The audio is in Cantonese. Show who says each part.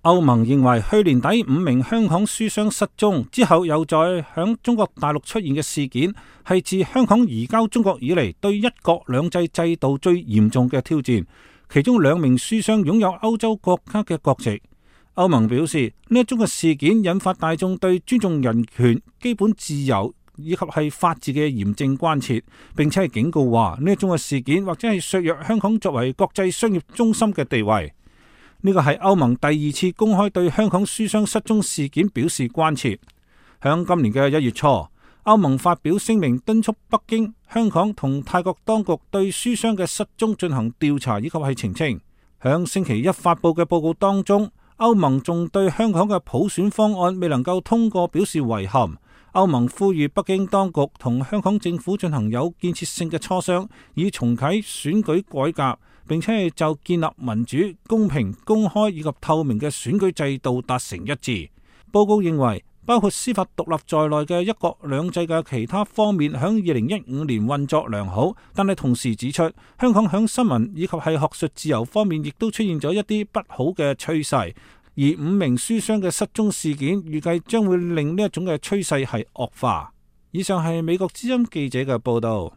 Speaker 1: 歐盟認為去年底5名香港書商失蹤之後又再響中國大陸出現嘅事件，係自香港移交中國以嚟對一國兩制制度最嚴重嘅挑戰。其中2名書商擁有歐洲國家嘅國籍。歐盟表示呢一宗嘅事件引發大眾對尊重人權、基本自由以及係法治嘅嚴正關切，並且係警告話呢一宗嘅事件或者係削弱香港作為國際商業中心嘅地位。呢個係歐盟第2次公開對香港書商失蹤事件表示關切。響今年嘅1月初，歐盟發表聲明敦促北京、香港同泰國當局對書商嘅失蹤進行調查以及係澄清。響星期一發佈嘅報告當中，歐盟仲對香港嘅普選方案未能夠通過表示遺憾。歐盟呼籲北京當局同香港政府進行有建設性嘅磋商，以重啟選舉改革，並且係就建立民主、公平、公開以及透明嘅選舉制度達成一致。報告認為，包括司法獨立在內嘅一國兩制嘅其他方面響2015年運作良好，但係同時指出，香港響新聞以及係學術自由方面亦都出現咗一啲不好嘅趨勢。而5名書商嘅失蹤事件，預計將會令呢一種嘅趨勢係惡化。以上係美國之音記者嘅報道。